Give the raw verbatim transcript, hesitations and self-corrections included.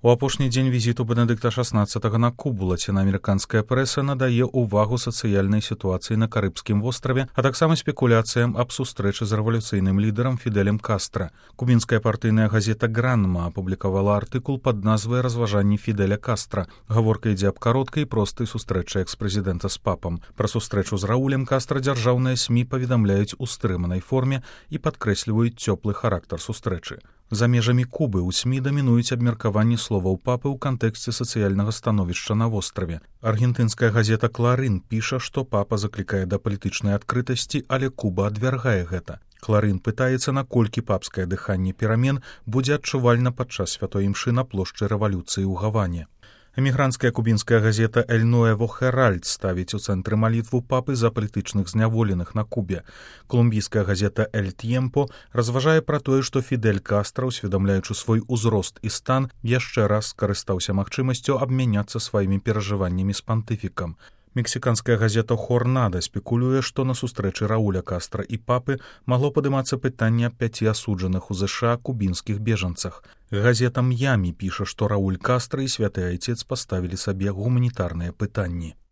У апошні дзень візіту Бенедыкта шаснаццатага на Кубу лацінаамерыканская прэса надае ўвагу сацыяльнай сітуацыі на Карыбскім востраве, а таксама спекуляцыям аб сустрэчы з рэвалюцыйным лідарам Фідэлем Кастра. Кубінская партыйная газета «Гранма» апублікавала артыкул пад назвай «Разважанні Фідэля Кастра». Гаворка ідзе аб кароткай і простай сустрэчы экс-прэзідэнта з папам. Пра сустрэчу з Раулем Кастра дзяржаўныя СМІ паведамляюць у стрыманай форме і падкрэсліваюць цёплы характар сустрэчы. За межамі Кубы ў СМІ дамінуюць абмеркаванні словаў папы ў кантэксце сацыяльнага становішча на востраве. Аргентынская газета «Кларын» піша, што папа заклікае да палітычнай адкрытасці, але Куба адвяргае гэта. «Кларын» пытаецца, наколькі папскае дыханне перамен будзе адчувальна падчас святой імшы на плошчы рэвалюцыі ў Гаване. Эмігранцкая кубінская газета «Эль Нуэво Херальд» ставіць у цэнтры малітву папы за палітычных зняволеных на Кубе. Колумбійская газета «Эль Тьемпо» разважае пра тое, што Фідэль Кастра, усведамляючы свой узрост і стан, яшчэ раз скарыстаўся магчымасцю абмяняцца сваімі перажываннямі з пантыфікам. Мексіканская газета «Хорнада» спекулюе, што на сустрэчы Рауля Кастра і папы магло падымацца пытанне аб пяці асуджаных у ЗША кубінскіх бежанцах. Газета «М'ямі» піша, што Рауль Кастра і святы айцец паставілі сабе гуманітарныя пытанні.